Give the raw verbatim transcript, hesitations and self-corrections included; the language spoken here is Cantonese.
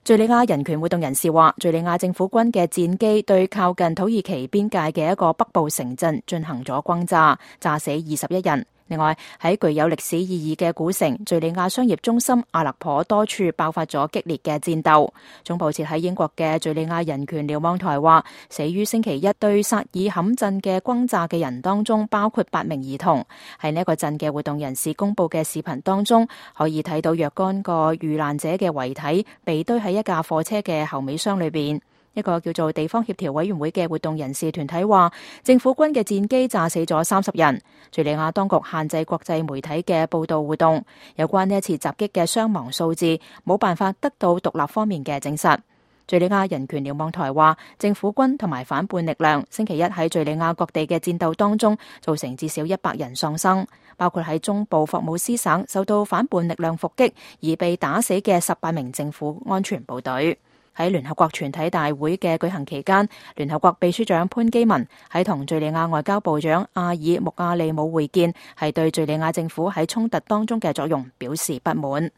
敘利亞人權活動人士話，敘利亞政府軍嘅戰機對靠近土耳其邊界嘅一個北部城鎮進行咗轟炸，炸死二十一人。另外，喺具有歷史意義嘅古城敘利亞商業中心阿勒頗多處爆發咗激烈嘅戰鬥。總部設喺英國嘅敘利亞人權瞭望台話，死於星期一對薩爾坎鎮嘅轟炸嘅人當中包括八名兒童。喺呢一個鎮嘅活動人士公佈嘅視頻當中，可以睇到若干個遇難者嘅遺體被堆喺一架貨車嘅後尾箱裏邊。一個叫做地方協調委員會嘅活動人士團體話，政府軍嘅戰機炸死咗三十人。敘利亞當局限制國際媒體嘅報道活動，有關呢一次襲擊嘅傷亡數字冇辦法得到獨立方面嘅證實。敘利亞人權瞭望台話，政府軍同埋反叛力量星期一喺敘利亞各地嘅戰鬥當中造成至少一百人喪生，包括喺中部霍姆斯省受到反叛力量伏擊而被打死嘅十八名政府安全部隊。喺聯合國全體大會嘅舉行期間，聯合國秘書長潘基文喺同敘利亞外交部長阿爾穆亞利姆會見，係對敘利亞政府喺衝突當中嘅作用表示不滿。